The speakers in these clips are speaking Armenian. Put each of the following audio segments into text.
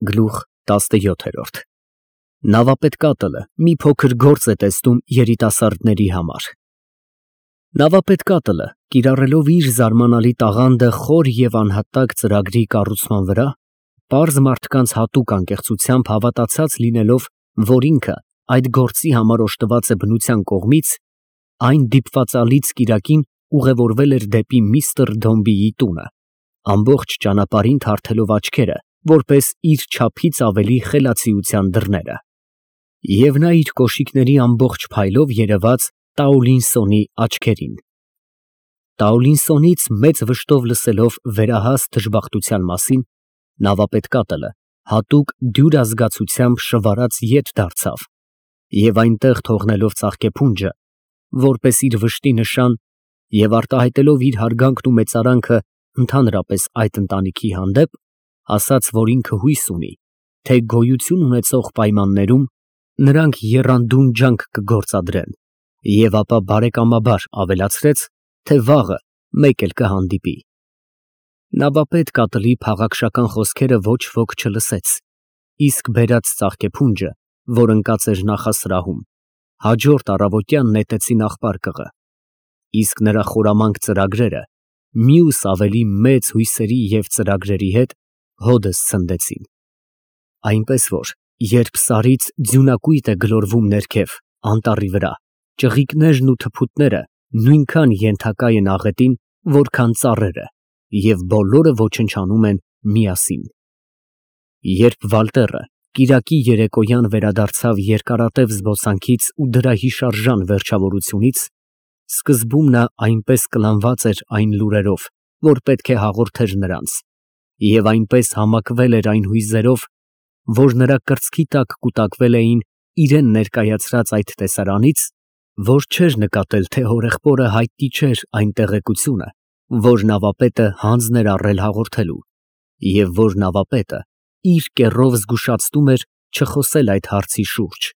Գլուխ 17 Նավապետ կատլը մի փոքր գործ է տեսնում երիտասարդների համար։ Նավապետ կատլը, կիրառելով իր զարմանալի տաղանդը խոր և անհատակ ծրագրի կառուցման վրա, պարզ մարդկանց հատուկ անկեղծությամբ հավատացած լինելով, որ ինքը այդ գործի համար օժտված է բնության կողմից, այն դիպվածալից կիրակին ուղևորվել էր դեպի միստր Դոմբիի տունը, ամբողջ ճանապարհին թարթելով աչքերը, որպես իր չափից ավելի խելացիության դռները։ Եվ նա իր կոշիկների ամբողջ փայլով երևաց Տաուլինսոնի աչքերին։ Տաուլինսոնից մեծ վշտով լսելով վերահաս դժբախտության մասին, նավապետ կատլը հատուկ դյուրազգացությամբ շվարած ետ դարձավ և այնտեղ թողնելով ծաղկեփունջը, որպես իր վշտի նշան և արտահայտելով իր հարգանքն ու մեծարանքը ընդհանրապես այդ ընտանիքի հանդեպ, ասաց, որ ինքը հույս ունի, թե գոյություն ունեցող պայմաններում նրանք եռանդուն ջանք կգործադրեն, և ապա բարեկամաբար ավելացրեց, թե վաղը մեկ էլ կհանդիպի։ Նավապետ կատլի փաղաքշական խոսքերը ոչ ոք չլսեց, իսկ բերած ծաղկեփունջը, որ ընկած էր նախասրահում, հաջորդ առավոտյան նետեցին աղբարկղը, իսկ նրա խորամանկ ծրագրերը մյուս ավելի մեծ հույսերի և ծրագրերի հետ հօդս ցնդեցին։ Այնպես որ, երբ սարից ձյունակույտ է գլորվում ներքև, անտառի վրա, ճղիկներն ու թփուտները նույնքան ենթակա են աղետին, որքան ծառերը, և բոլորը ոչնչանում են միասին։ Երբ Վալտերը կիրակի երեկոյան վերադարձավ երկարատև զբոսանքից ու դրա հիշարժան վերջավորությունից, սկզբում նա այնպես կլանված էր այն լուրերով, որ պետք է հաղորդեր նրանց, և այնպես համակվել էր այն հույզերով, որ նրա կրծքի տակ կուտակվել էին իրան ներկայացրած այդ տեսարանից, որ չէր նկատել, թե հորեղբորը հայտնի չէր այն տեղեկությունը, որ նավապետը հանձն էր առել հաղորդելու, և որ նավապետը իր կեռով զգուշացնում էր չխոսել այդ հարցի շուրջ։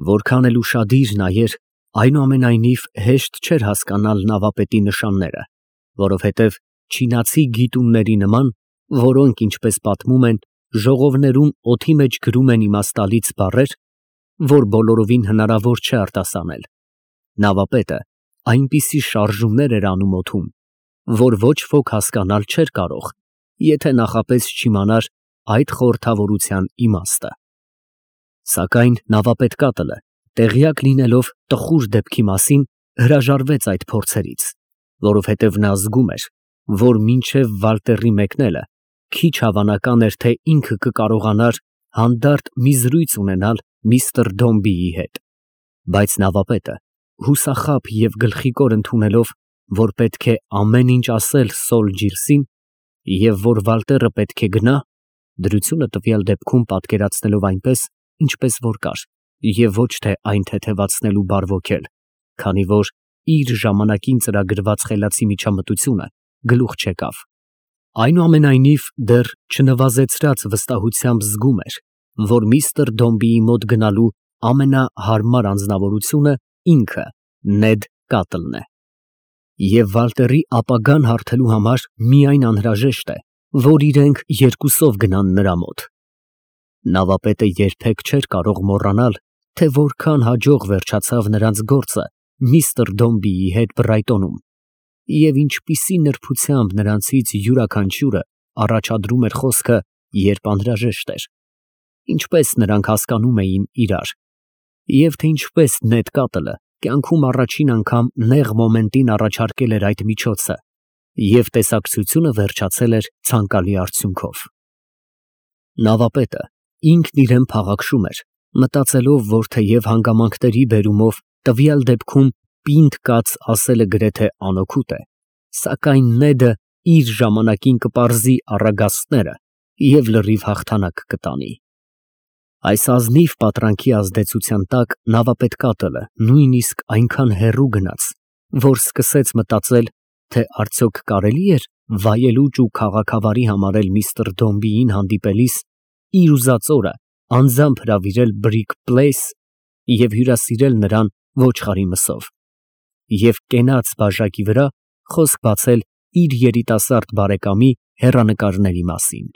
Որքան էլ ուշադիր նայեր, այնուամենայնիվ հեշտ չէր հասկանալ նավապետի նշանները, որովհետև չինացի գիտունների նման, որոնք, ինչպես պատմում են, ժողովներում օդի մեջ գրում են իմաստալից բառեր, որ բոլորովին հնարավոր չէ արտասանել, նավապետը այնպիսի շարժումներ էր անում օդում, որ ոչ ոք հասկանալ չէր կարող, եթե նախապես չիմանար այդ խորհրդավորության իմաստը։ Սակայն նավապետ կատլը, տեղյակ լինելով տխուր դեպքի մասին, հրաժարվեց այդ փորձերից, որովհետև նա զգում էր, որ մինչև Վալտերի մեկնելը քիչ հավանական էր, թե ինքը կկարողանար հանդարտ մի զրույց ունենալ միստր Դոմբիի հետ, բայց նավապետը հուսախաբ և գլխիկոր ընդունելով, որ պետք է ամեն ինչ ասել Սոլ Ջիրսին և որ Վալտերը պետք է գնա, դրությունը տվյալ դեպքում պատկերացնելով այնպես, ինչպես որ կար, և ոչ թե այն թեթևացնելու բարվոքել, քանի որ իր ժամանակին ծրագրված խելացի միջամտությունը գլուխ չեկավ։ Այնուամենայնիվ դեռ չնվազեցրած վստահությամբ զգում էր, որ միստր Դոմբիի մոտ գնալու ամենահարմար անձնավորությունը ինքը Նեդ Կատլն է, և Վալտերի ապագան հարթելու համար միայն անհրաժեշտ է, որ իրենք երկուսով գնան նրա մոտ։ Նավապետը երբեք չէր կարող մոռանալ, թե որքան հաջող վերջացավ նրանց գործը միստր Դոմբիի հետ Բրայտոնում, և ինչպիսի նրբությամբ նրանցից յուրաքանչյուրը առաջադրում էր խոսքը, երբ անհրաժեշտ էր, ինչպես նրանք հասկանում էին իրար, և թե ինչպես Նեդ Կատլը կյանքում առաջին անգամ նեղ մոմենտին առաջարկել էր այդ միջոցը, և տեսակցությունը վերջացել էր ցանկալի արդյունքով։ Նավապետը ինքն իրեն փաղաքշում էր, մտածելով, որ թեև հանգամանքների բերումով տվյալ դեպքում պինդ կաց ասելը գրեթե անօգուտ է, սակայն Նեդը իր ժամանակին կպարզի առագաստները և լրիվ հաղթանակ կտանի։ Այս ազնիվ պատրանքի ազդեցության տակ նավապետ կատլը նույնիսկ այնքան հեռու գնաց, որ սկսեց մտածել, թե արդյոք կարելի էր վայելուչ ու քաղաքավարի համարել միստր Դոմբիին հանդիպելիս իր ուզած օրը անձամբ հրավիրել Բրիկ Պլեյս և հյուրասիրել նրան ոչխարի մսով, և կենաց բաժակի վրա խոսք բացել իր երիտասարդ բարեկամի հեռանկարների մասին։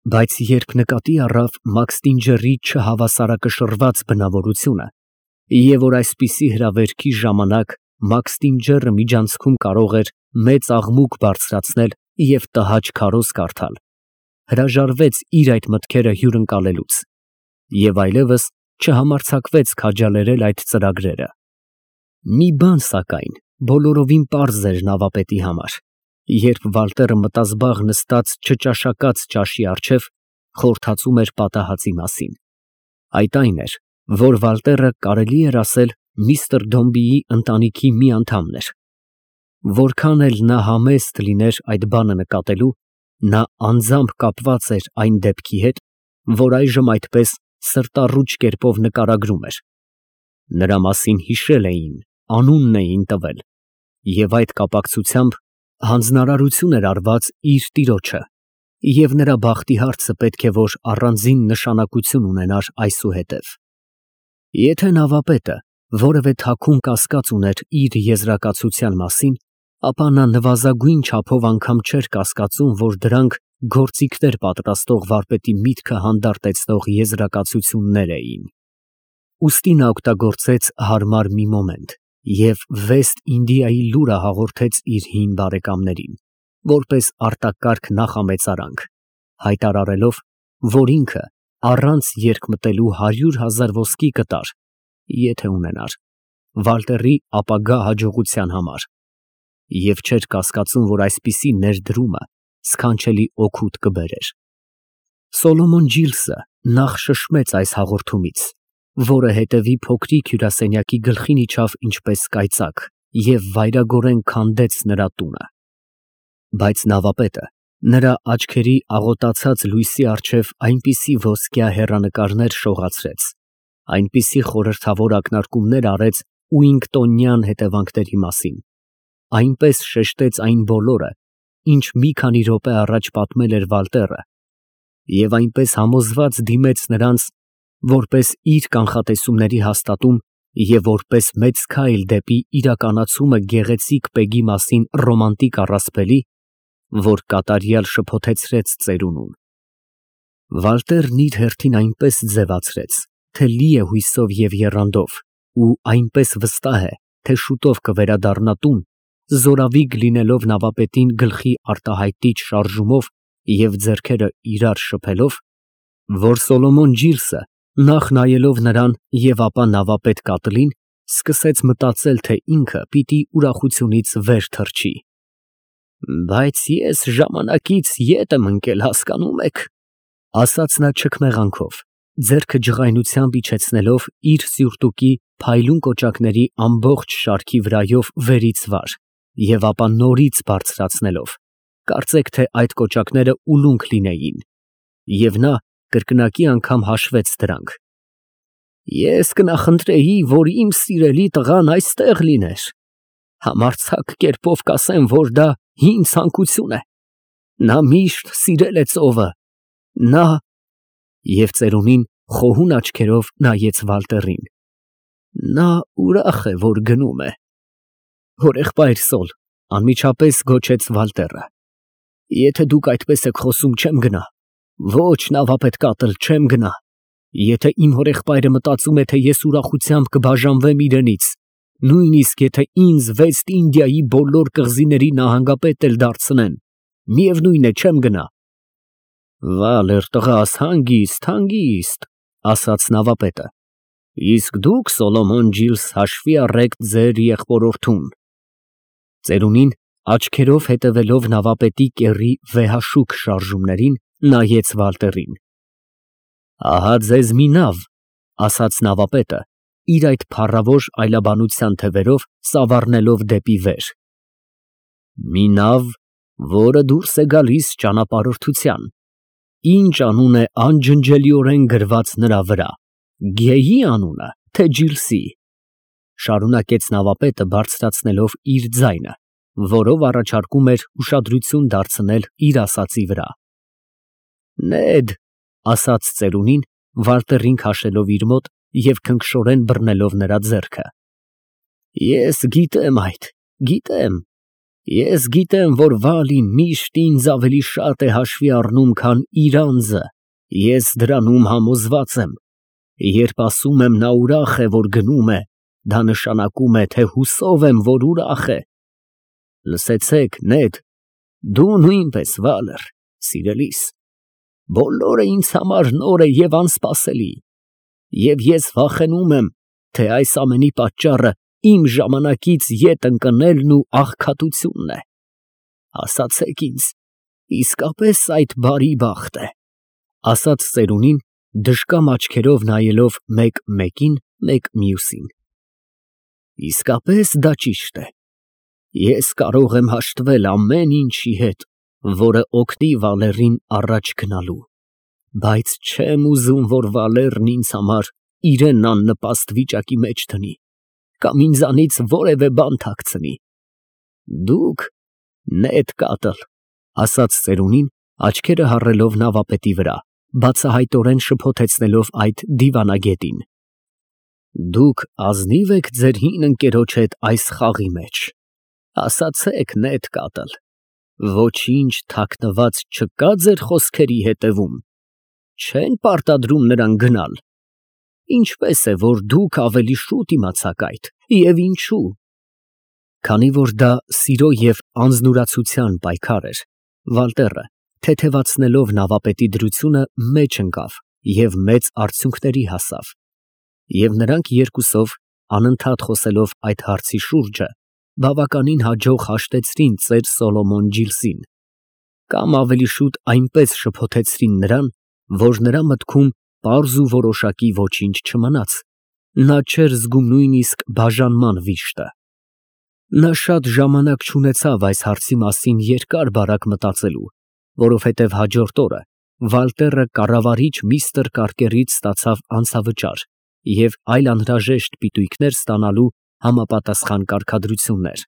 Բայց երբ նկատի առավ Մաքստինջերի չհավասարակշռված բնավորությունը, եւ որ այսպիսի հրավերքի ժամանակ Մաքստինջերը միջանցքում կարող էր մեծ աղմուկ բարձրացնել եւ տհաճ քարոզ կարդալ, հրաժարվեց իր այդ մտքերը հյուրընկալելուց եւ այլևս չհամարձակվեց քաջալերել այդ ծրագրերը։ Մի բան, սակայն, բոլորովին պարզ էր նավապետի համար, երբ Վալտերը մտազբաղ նստած չճաշակած ճաշի առջև խորհրդածում էր պատահածի մասին։ Այդ այն էր, որ Վալտերը կարելի էր ասել միստր Դոմբիի ընտանիքի մի անդամն էր։ Որքան էլ նա համեստ լիներ այդ բանը նկատելու, նա անձամբ կապված էր այն դեպքի հետ, որ այժմ այդպես սրտառուչ կերպով նկարագրում էր։ Նրա մասին հիշել էին, անունն էին տվել, եւ այդ կապակցությամբ հանձնարարություն էր արված իր տիրոջը, եւ նրա բախտի հարցը պետք է որ առանձին նշանակություն ունենար այսուհետև։ Եթե նավապետը որևէ թաքուն կասկած ուներ իր եզրակացության մասին, ապա նա նվազագույն չափով անգամ չէր կասկածում, որ դրանք գործիքներ պատրաստող վարպետի միտքը հանդարտեցնող եզրակացություններ էին։ Ուստի նա օգտագործեց հարմար մի մոմենտ և Վեստ Ինդիայի լուրը հաղորդեց իր հին բարեկամներին, որպես արտակարգ նախամեծարանք, հայտարարելով, որ ինքը առանց երկմտելու 100,000 ոսկի կտար, եթե ունենար, Վալտերի ապագա հաջողության համար, և չէր կասկածում, որ այսպիսի ներդրումը սքանչելի օգուտ կբերեր։ Սոլոմոն Ջիլսը նախ շշմեց այս հաղորդումից, որը հետևի փոքրիկ հյուրասենյակի գլխին իջավ ինչպես կայծակ և վայրագորեն քանդեց նրա տունը։ Բայց նավապետը նրա աչքերի աղոտացած լույսի առջև այնպիսի ոսկյա հեռանկարներ շողացրեց, այնպիսի խորհրդավոր ակնարկումներ արեց Ուինգտոնյան հետևանքների մասին, այնպես շեշտեց այն բոլորը, ինչ մի քանի րոպե առաջ պատմել էր Վալտերը, և այնպես համոզված դիմեց նրանց, որպես իր կանխատեսումների հաստատում և որպես մեծ քայլ դեպի իրականացումը գեղեցիկ պեգի մասին ռոմանտիկ առասպելի, որ կատարյալ շփոթեցրեց ծերունուն։ Վալտերն իր հերթին այնպես ձևացրեց, թե լի է հույսով և եռանդով, ու այնպես վստահ է, թե շուտով կվերադառնա տուն, զորավիգ լինելով նավապետին գլխի արտահայտիչ շարժումով և ձեռքերը իրար շփելով, որ Սոլոմոն Ջիլսը, նախ նայելով նրան և ապա նավապետ Կատլին, սկսեց մտածել, թե ինքը պիտի ուրախությունից վեր թռչի։ «Բայց ես ժամանակից ետ եմ ընկել, հասկանում եք», ասաց նա չքմեղանքով, ձեռքը ջղայնությամբ իջեցնելով իր սյուրտուկի փայլուն կոճակների ամբողջ շարքի վրայով վերից վար և ապա նորից բարձրացնելով, կարծեք թե այդ կոճակները ուլունք լինեին, և նա կրկնակի անգամ հաշվեց դրանք։ «Ես կնախընտրեի, որ իմ սիրելի տղան այստեղ լիներ, համարձակ կերպով կասեմ, որ դա հին ցանկություն է, նա միշտ սիրել է ծովը, նա…» և ծերունին խոհուն աչքերով նայեց Վալտերին։ «Նա ուրախ է, որ գնում է»։ «Հորեղբայր Սոլ», անմիջապես գոչեց Վալտերը, «եթե դուք այդպես եք խոսում, չեմ գնա, ոչ նավապետ Կատլ, չեմ գնա, եթե իմ հորեղբայրը մտածում է, թե ես ուրախությամբ կբաժանվեմ իրենից, նույնիսկ եթե ինձ Վեստ Ինդիայի բոլոր կղզիների նահանգապետ էլ դարձնեն, միևնույն է, չեմ գնա»։ «Վալեր տղաս, հանգիստ, հանգիստ», ասաց նավապետը, «իսկ դուք, Սոլոմոն Ջիլս, հաշվի առեք ձեր եղբորորդուն»։ Ծերունին աչքերով հետևելով նավապետի կեռի վեհաշուք շարժումներին, նայեց Վալտերին։ «Ահա ձեզ մի նավ», ասաց նավապետը, իր այդ փառավոր այլաբանության թևերով ծավառնելով դեպի վեր, «մի նավ, որը դուրս է գալիս ճանապարհորդության, ինչ անուն է անջնջելիորեն գրված նրա վրա, Գեյի անունը, թե Ջիլսի», շարունակեց նավապետը բարձրացնելով իր ձայնը, որով առաջարկում էր ուշադրություն դարձնել իր ասածի վրա։ «Նեդ», ասաց ծերունին, Վալտերին քաշելով իր մոտ և քնքշորեն բռնելով նրա ձեռքը, «ես գիտեմ այդ, գիտեմ, Ես գիտեմ, որ Վալին միշտ ինձ ավելի շատ է հաշվի առնում, քան իր անձը, ես դրանում համոզված եմ, երբ ասում եմ նա ուրախ է, որ գնում է, դա նշանակում է, թե հուսով եմ, որ ուրախ է։ Լսեցեք, Նեդ, դու նույնպես, Վալեր, սիրելիս, բոլորը ինձ համար նոր է և անսպասելի, և ես վախենում եմ, թե այս ամենի պատճառը իմ ժամանակից ետ ընկնելն ու աղքատությունն է։ Ասացեք ինձ, իսկապես այդ բարի բախտ է, ասաց ծերունին, դժկամ աչքերով նայելով մեկ մեկին, մեկ մյուսին։ Իսկապես դա ճիշտ է։ Ես կարող եմ հաշտվել ամեն ինչի հետ, որը օգնի Վալերին առաջ գնալու, բայց չեմ ուզում, որ Վալերն ինձ համար իրեն աննպաստ վիճակի մեջ դնի, կամ ինձանից որևէ բան թաքցնի։ Դուք, Նեդ Կատլ, ասաց ծերունին, աչքերը հառելով նավապետի վրա, բացահայտորեն շփոթեցնելով այդ դիվանագետին։ Դուք ազնիվ եք ձեր հին ընկերոջ հետ այս խաղի մեջ։ Ասացեք, Նեդ Կատլ, ոչինչ թաքնված չկա ձեր խոսքերի հետևում։ Չեն պարտադրում նրան գնալ։ Ինչպես է, որ դուք ավելի շուտ իմացաք այդ, և ինչու։ Քանի որ դա սիրո և անձնուրացության պայքար էր, Վալտերը, թեթևացնելով նավապետի դրությունը, մեջ ընկավ և մեծ արդյունքների հասավ։ Եվ նրանք երկուսով, անընդհատ խոսելով այդ հարցի շուրջը, բավականին հաջող հաշտեցրին ծեր Սոլոմոն Ջիլսին, կամ ավելի շուտ այնպես շփոթեցրին նրան, որ նրա մտքում պարզ ու որոշակի ոչինչ չմնաց, նա չէր զգում նույնիսկ բաժանման վիշտը։ Նա շատ ժամանակ չունեցավ այս հարցի մասին երկար֊բարակ մտածելու, որովհետև հաջորդ օրը Վալտերը կառավարիչ միստր Կարկերից ստացավ անձավճար և այլ անհրաժեշտ պիտույքներ ստանալու համապատասխան կարգադրություններ,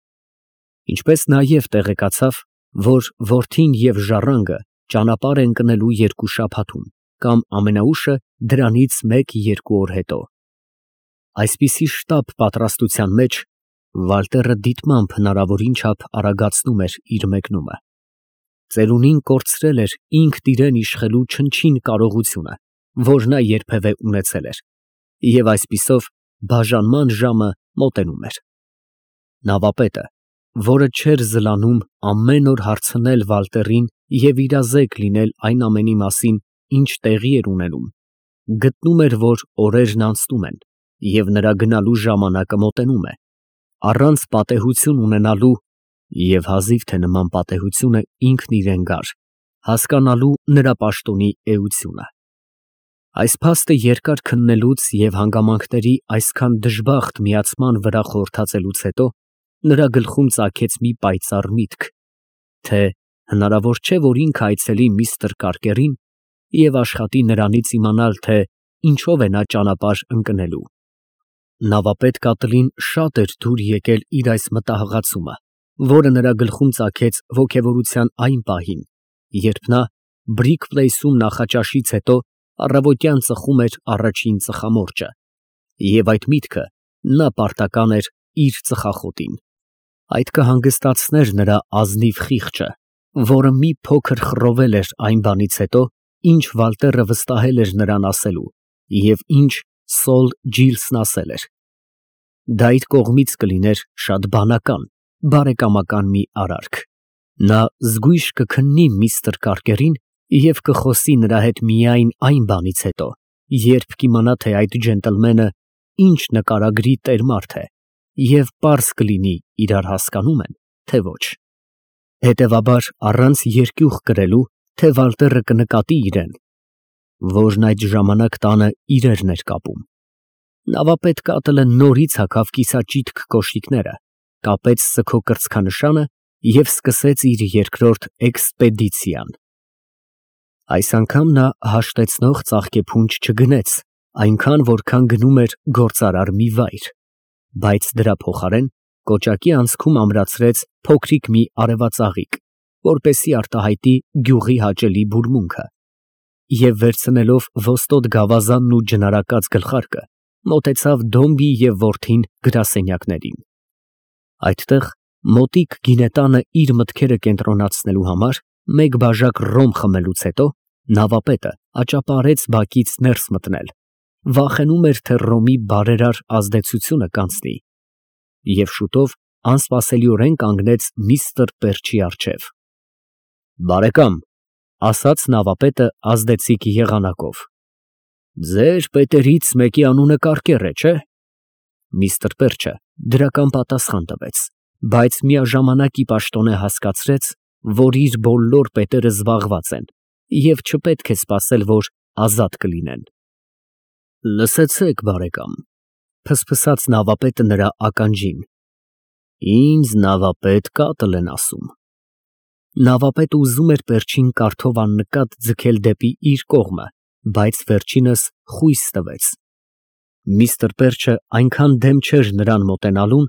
ինչպես նաև տեղեկացավ, որ որդին և ժառանգը ճանապարհ են ընկնելու 2 շաբաթում, կամ ամենաուշը դրանից 1-2 օր հետո։ Այսպիսի շտապ պատրաստության մեջ Վալտերը դիտմամբ հնարավորին չափ արագացնում էր իր մեկնումը։ Ծերունին կորցրել էր ինքն իրեն իշխելու չնչին կարողությունը, որ նա երբևէ ունեցել էր, և այսպիսով բաժանման ժամը մոտենում էր։ Նավապետը, որը չէր զլանում ամեն օր հարցնել Վալտերին և իրազեկ լինել այն ամենի մասին, ինչ տեղի էր ունենում, գտնում էր, որ օրերն անցնում են, և նրա գնալու ժամանակը մոտենում է, առանց պատեհություն ունենալու (և հազիվ թե նման պատեհությունը ինքն իրեն գար) հասկանալու նրա պաշտոնի էությունը։ Այս փաստը երկար քննելուց և հանգամանքների այսքան դժբախտ միացման վրա խորհրդածելուց հետո նրա գլխում ծագեց մի պայծառ միտք, թե հնարավոր չէ, որ ինքը այցելի միստր Կարկերին և աշխատի նրանից իմանալ, թե ինչով է նա ճանապարհ ընկնելու։ Նավապետ Կատլին շատ էր դուր եկել իր այս մտահղացումը, որը նրա գլխում ծագեց ոգևորության այն պահին, երբ նա Բրիկ Պլեյսում նախաճաշից հետո առավոտյան ծխում էր առաջին ծխամորճը, և այդ միտքը նա պարտական էր իր ծխախոտին։ Այդ կհանգստացներ նրա ազնիվ խիղճը, որը մի փոքր խռովել էր այն բանից հետո, ինչ Վալտերը վստահել էր նրան ասելու, և ինչ Սոլ Ջիլսն ասել էր։ Դա իր կողմից կլիներ շատ բանական, բարեկամական մի արարք։ Նա զգույշ կքննի միստր Կարկերին և կխոսի նրա հետ միայն այն բանից հետո, երբ կիմանա, թե այդ ջենտլմենը ինչ նկարագրի տեր֊մարդ է, և պարզ կլինի իրար հասկանո՞ւմ են, թե ոչ։ Հետևաբար, առանց երկյուղ կրելու, թե Վալտերը կնկատի իրեն, որն այդ ժամանակ տանը իրերն էր կապում, նավապետ Կատլը նորից հագավ կիսաճիթք կոշիկները, կապեց սգո կրծքանշանը և սկսեց իր երկրորդ էքսպեդիցիան։ Այս անգամ նա հաշտեցնող ծաղկեփունջ չգնեց այնքան, որքան գնում էր գործարար մի վայր, բայց դրա փոխարեն կոճակի անցքում ամրացրեց փոքրիկ մի արևածաղիկ, որպեսզի արտահայտի գյուղի հաճելի բուրմունքը, և վերցնելով ոստոտ գավազանն ու ջնարակած գլխարկը, մոտեցավ Դոմբի և որդին գրասենյակներին։ Այդտեղ Մոտիկ գինետանը իր մտքերը կենտրոնացնելու համար մեկ բաժակ ռոմ խմելուց հետո նավապետը աճապարեց բակից ներս մտնել, վախենում էր, թե ռոմի բարերար ազդեցությունը կանցնի, և շուտով անսպասելիորեն կանգնեց միստր Պերչի առջև։ «Բարեկամ», ֊ ասաց նավապետը ազդեցիկ եղանակով, ֊ ձեր պետերից մեկի անունը Կարկեռ է, չէ՞։ Միստր Պերչը դրական պատասխան տվեց, բայց միաժամանակ ի պաշտոնե հասկացրեց, որ իր բոլոր պետերը զբաղված են և չպետք է սպասել, որ ազատ կլինեն։ «Լսեցեք, բարեկամ», ֊ ֆսֆսաց նավապետը նրա ականջին, ֊ ինձ նավապետ Կատլ են ասում։ Նավապետը ուզում էր Պերչին կարդով աննկատ ձգել դեպի իր կողմը, բայց վերջինս խույս տվեց։ Միստր Պերչը այնքան դեմ չէր նրան մոտենալուն,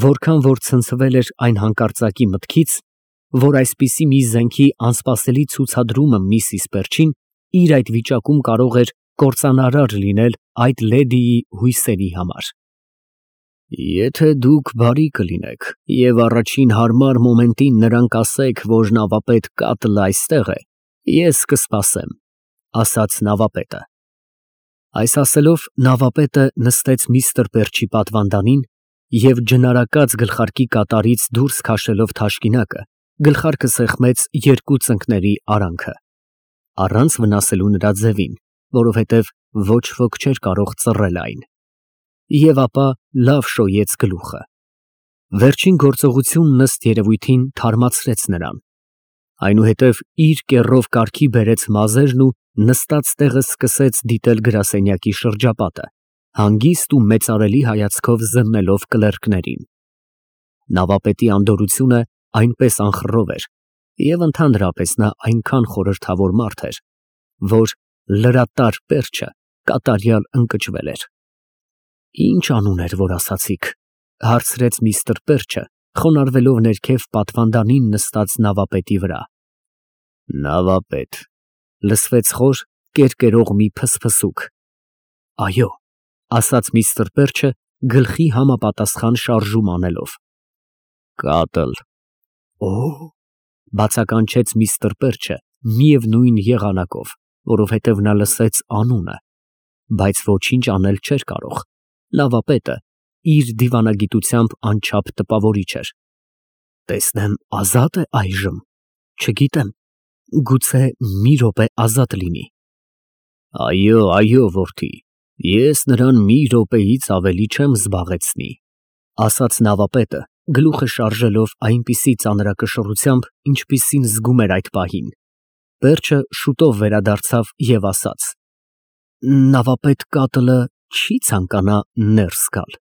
որքան որ ցնցվել էր այն հանկարծակի մտքից, որ այսպիսի մի զենքի անսպասելի ցուցադրումը միսիս Պերչին իր այդ վիճակում կարող էր կործանարար լինել այդ լեդիի հույսերի համար։ «Եթե դուք բարի կլինեք և առաջին հարմար մոմենտին նրան կասեք, որ նավապետ Կատլը այստեղ է, ես կսպասեմ», ֊ ասաց նավապետը։ Այս ասելով նավապետը նստեց միստր Պերչի պատվանդանին և ջնարակած գլխարկի կատարից դուրս քաշելով թաշկինակը, գլխարկը սեղմեց երկու ծնկների արանքը, առանց վնասելու նրա ձևին, որովհետև ոչ ոք չէր կարող ծռել այն, և ապա լավ շոյեց գլուխը։ Վերջին գործողությունն ըստ երևույթին թարմացրեց նրան, այնուհետև իր կեռով կարգի բերեց մազերն ու նստած տեղը սկսեց դիտել գրասենյակի շրջապատը, հանգիստ ու մեծարելի հայացքով զննելով կլերկներին։ Նավապետի անդորրությունը այնպես անխռով էր, և ընդհանրապես նա այնքան խորհրդավոր մարդ էր, որ լրատար Պերչը կատարյալ ընկճվել էր։ «Ի՞նչ անուն էր, որ ասացիք», ֊ հարցրեց միստր Պերչը, խոնարհվելով ներքև պատվանդանին նստած նավապետի վրա։ «Նավապետ», ֊ լսվեց խոր, կերկերող մի ֆսֆսուկ։ «Այո», ֊ ասաց միստր Պերչը գլխի համապատասխան շարժում անելով։ «Կատլ»։ «Օ՛օ», ֊ բացականչեց միստր Պերչը միևնույն եղանակով, որովհետև նա լսեց անունը, բայց ոչինչ անել չէր կարող, նավապետը իր դիվանագիտությամբ անչափ տպավորիչ էր։ «Տեսնեմ ազատ է այժմ, չգիտեմ, գուցե մի րոպե ազատ լինի»։ «Այո, այո, որդի, ես նրան մի րոպեից ավելի չեմ զբաղեցնի», ֊ ասաց նավապետը, գլուխը շարժելով այնպիսի ծանրակշռությամբ, ինչպիսին զգում էր այդ պահին։ Պերչը շուտով վերադարձավ և ասաց. «Նավապետ Կատլը չի ցանկանա ներս գալ»։